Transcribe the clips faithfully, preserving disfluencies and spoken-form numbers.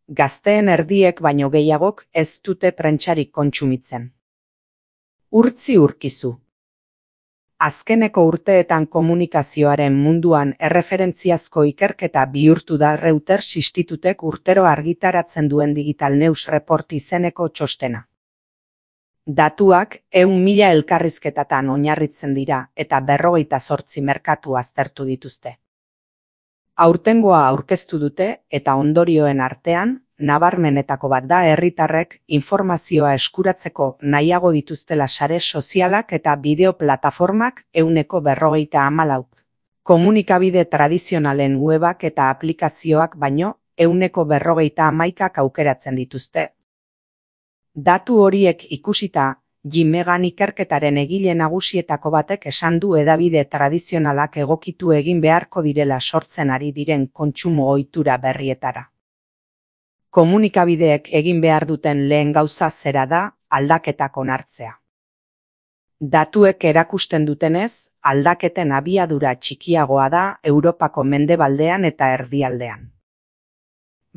Gazteen erdiek baino gehiagok ez dute prentsarik kontsumitzen. Urtzi urkizu. Azkeneko urteetan komunikazioaren munduan erreferentziazko ikerketa bihurtu da Reuters institutek urtero argitaratzen duen Digital News Report izeneko txostena. Datuak ehun mila elkarrizketatan oinarritzen dira eta berrogeita zortzi merkatu aztertu dituzte. Aurtengoa aurkeztu dute eta ondorioen artean, nabarmenetako bat da herritarrek informazioa eskuratzeko nahiago dituztela sare sozialak eta bideo plataformak ehuneko berrogeita hamalauk. Komunikabide tradizionalen webak eta aplikazioak baino ehuneko berrogeita hamaikak aukeratzen dituzte. Datu horiek ikusita, Jimegan ikerketaren egile nagusietako batek esan du hedabide tradizionalak egokitu egin beharko direla sortzen ari diren kontsumo ohitura berrietara. Komunikabideek egin behar duten lehen gauza zera da aldaketak onartzea. Datuek erakusten dutenez, aldaketen abiadura txikiagoa da Europako mendebaldean eta erdialdean.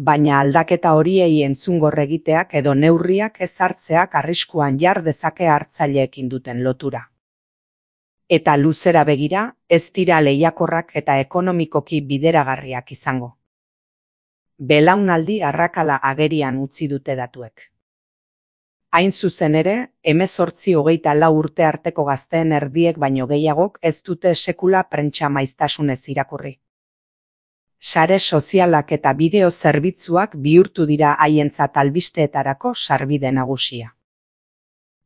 Baina aldaketa horiei entzungor egiteak edo neurriak ez hartzeak arriskuan jar dezake hartzaileekin duten lotura. Eta luzera begira, ez dira lehiakorrak eta ekonomikoki bideragarriak izango. Belaunaldi arrakala agerian utzi dute datuek. Hain zuzen ere, hemezortzi hogeita lau urte arteko gazteen erdiek baino gehiagok ez dute sekula prentsa maiztasunez irakurri. Sare sozialak eta bideo zerbitzuak bihurtu dira haientzat albisteetarako sarbide nagusia.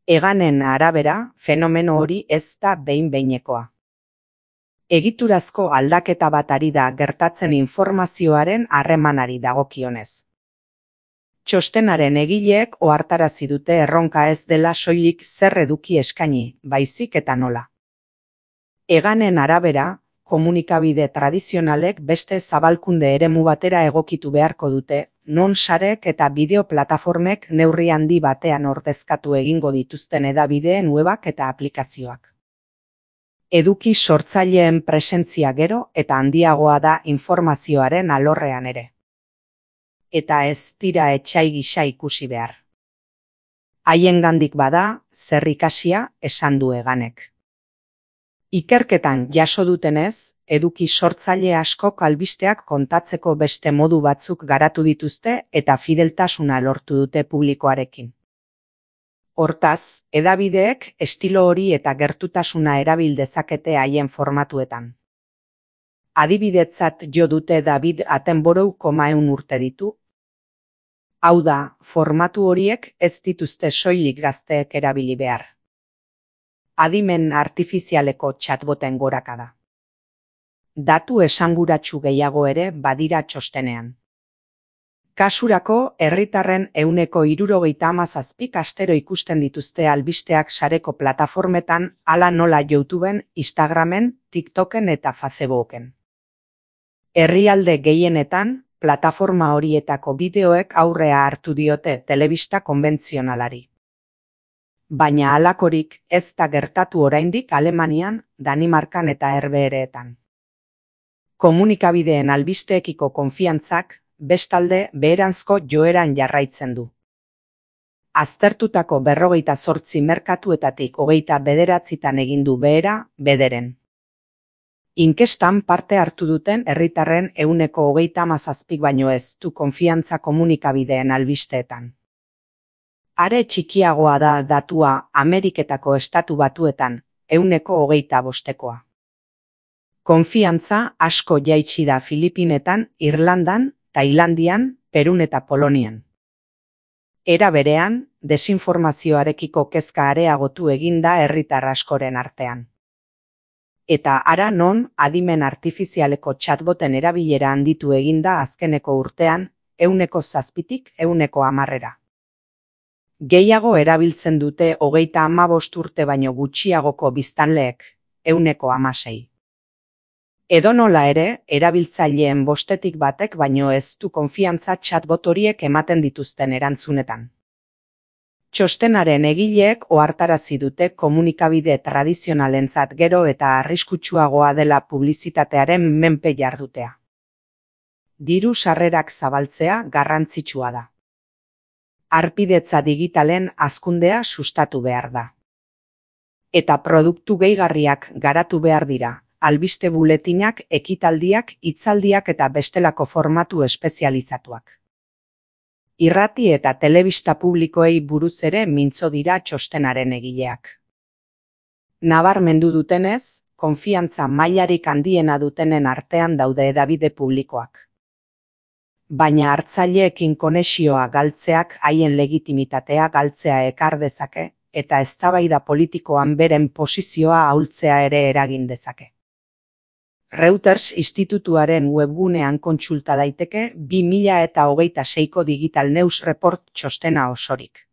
Eganen arabera, fenomeno hori ez da behin-behinekoa. Egiturazko aldaketa bat ari da gertatzen informazioaren harremanari dagokionez. Txostenaren egileek ohartarazi dute erronka ez dela soilik zer eduki eskaini, baizik eta nola. Eganen arabera, komunikabide tradizionalek beste zabalkunde eremu batera egokitu beharko dute, non sarek eta bideo plataformek neurri handi batean ordezkatu egingo dituzten hedabideen webak eta aplikazioak. Eduki sortzaileen presentzia gero eta handiagoa da informazioaren alorrean ere. Eta ez dira etsai gisa ikusi behar. Haiengandik bada, zer ikasia esan du Eganek. Ikerketan jaso dutenez, eduki sortzaile askok albisteak kontatzeko beste modu batzuk garatu dituzte eta fideltasuna lortu dute publikoarekin. Hortaz, hedabideek estilo hori eta gertutasuna erabil dezakete haien formatuetan. Adibidetzat jo dute David Attenborough koma ehun urte ditu. Hau da, formatu horiek ez dituzte soilik gazteek erabili behar. Adimen artifizialeko chatboten gorakada. Datu esanguratsu gehiago ere badira txostenean. Kasurako, herritarren ehuneko hirurogeita hamazazpik astero ikusten dituzte albisteak sareko plataformetan, hala nola YouTubeen, Instagramen, TikToken eta Facebooken. Herrialde gehienetan, plataforma horietako bideoek aurrea hartu diote telebista konbentzionalari. Baina halakorik ez da gertatu oraindik Alemanian, Danimarkan eta Herbehereetan. Komunikabideen albisteekiko konfiantzak, bestalde beheranzko joeran jarraitzen du. Aztertutako berrogeita zortzi merkatuetatik hogeita bederatzitan egin du behera, bederen. Inkestan parte hartu duten herritarren ehuneko hogeita hamazazpik baino ez du konfiantza komunikabideen albisteetan. Are txikiagoa da datua Ameriketako estatu batuetan, ehuneko hogeita bostekoa. Konfiantza asko jaitsi da Filipinetan, Irlandan, Tailandian, Perun eta Polonian. Era berean, desinformazioarekiko kezka areagotu egin da herritar askoren artean. Eta hara non, adimen artifizialeko chatboten erabilera handitu eginda azkeneko urtean, ehuneko zazpitik ehuneko hamarrera. Gehiago erabiltzen dute hogeita hamabost urte baino gutxiagoko biztanleek, ehuneko hamasei. Edonola ere, erabiltzaileen bostetik batek baino ez du konfiantza chatbot horiek ematen dituzten erantzunetan. Txostenaren egileek ohartarazi dute komunikabide tradizionalentzat gero eta arriskutsuagoa dela publizitatearen menpe jardutea. Diru sarrerak zabaltzea garrantzitsua da. Harpidetza digitalen hazkundea sustatu behar da. Eta produktu gehigarriak garatu behar dira, albiste buletinak, ekitaldiak, hitzaldiak eta bestelako formatu espezializatuak. Irrati eta telebista publikoei buruz ere mintzo dira txostenaren egileak. Nabarmendu dutenez, konfiantza mailarik handiena dutenen artean daude hedabide publikoak. Baina hartzaileekin konexioa galtzeak haien legitimitatea galtzea ekar dezake, eta eztabaida politikoan beren posizioa ahultzea ere eragin dezake. Reuters institutuaren webgunean kontsulta daiteke bi mila hogeita seiko Digital News Report txostena osorik.